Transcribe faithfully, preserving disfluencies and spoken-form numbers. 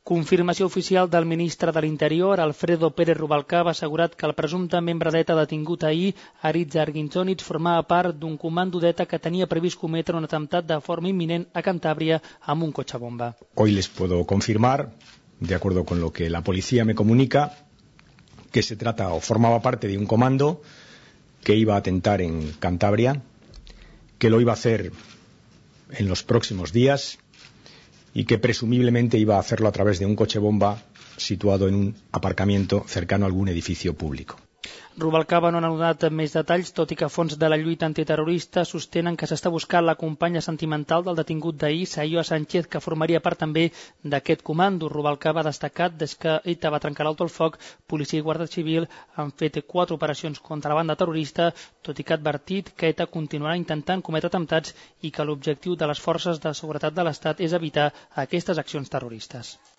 Confirmació oficial del ministre de l'Interior, Alfredo Pérez Rubalcaba, ha assegurat que el presumpte membre d'ETA detingut ahir, Aritz Arginzonitz, formava part d'un comando d'ETA que tenia previst cometre un atemptat de forma imminent a Cantàbria amb un cotxe bomba. Hoy les puedo confirmar, de acuerdo con lo que la policía me comunica, que se trata o formaba parte de un comando que iba a atentar en Cantabria, que lo iba a hacer en los próximos días y que presumiblemente iba a hacerlo a través de un coche bomba situado en un aparcamiento cercano a algún edificio público. Rubalcaba no ha donat més detalls, tot i que fons de la lluita antiterrorista sostenen que s'està buscant la companya sentimental del detingut d'ahir, Sayoa Sánchez, que formaria part també d'aquest comando. Rubalcaba ha destacat des que ETA va trencar l'alto el foc, policia i guàrdia civil han fet quatre operacions contra la banda terrorista, tot i que ha advertit que ETA continuarà intentant cometre atemptats i que l'objectiu de les forces de seguretat de l'Estat és evitar aquestes accions terroristes.